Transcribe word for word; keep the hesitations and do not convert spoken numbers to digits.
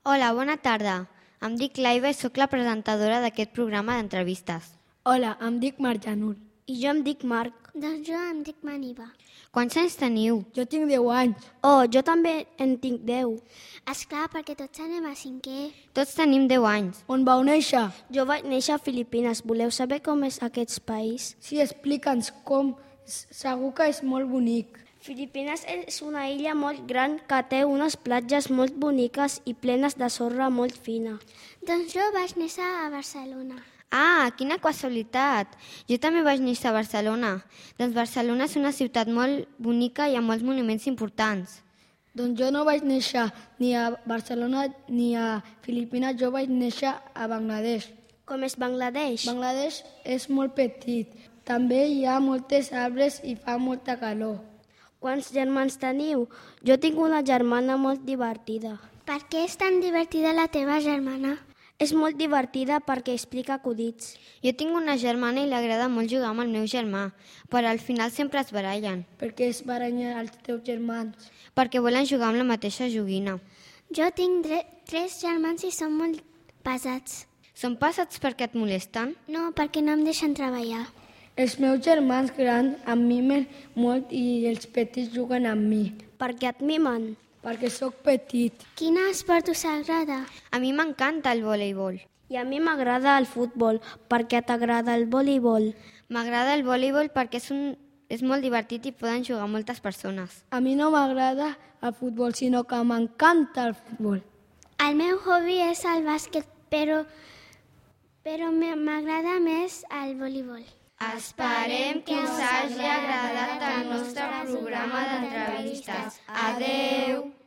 Hola, bona tarda. Em dic Laiva i sóc la presentadora d'aquest programa d'entrevistes. Hola, em dic Marjanul. I jo em dic Marc. Doncs jo em dic Maniva. Quants anys teniu? Jo tinc deu anys. Oh, jo també en tinc deu. Esclar, perquè tots anem a cinquè. Tots tenim deu anys. On vau néixer? Jo vaig néixer a Filipines. Voleu saber com és aquest país? Sí, explica'ns com. Segur que és molt bonic. Filipines és una illa molt gran que té unes platges molt boniques i plenes de sorra molt fina. Doncs jo vaig néixer a Barcelona. Ah, quina casualitat! Jo també vaig néixer a Barcelona. Doncs Barcelona és una ciutat molt bonica i amb molts monuments importants. Doncs jo no vaig néixer ni a Barcelona ni a Filipines, jo vaig néixer a Bangladesh. Com és Bangladesh? Bangladesh és molt petit. També hi ha moltes arbres i fa molta calor. Quants germans teniu? Jo tinc una germana molt divertida. Per què és tan divertida la teva germana? És molt divertida perquè explica acudits. Jo tinc una germana i li agrada molt jugar amb el meu germà, però al final sempre es barallen. Per què es barallen els teus germans? Perquè volen jugar amb la mateixa joguina. Jo tinc dre- tres germans i són molt pesats. Són pesats perquè et molesten? No, perquè no em deixen treballar. Els meus germans grans em mimen molt i els petits juguen amb mi. Per què et mimen? Perquè sóc petit. Quin esport us agrada? A mi m'encanta el voleibol. I a mi m'agrada el futbol. Per què t'agrada el voleibol? M'agrada el voleibol perquè és, un, és molt divertit i poden jugar moltes persones. A mi no m'agrada el futbol, sinó que m'encanta el futbol. El meu hobby és el bàsquet, però, però m'agrada més el voleibol. Esperem que us hagi agradat el nostre programa d'entrevistes. Adeu!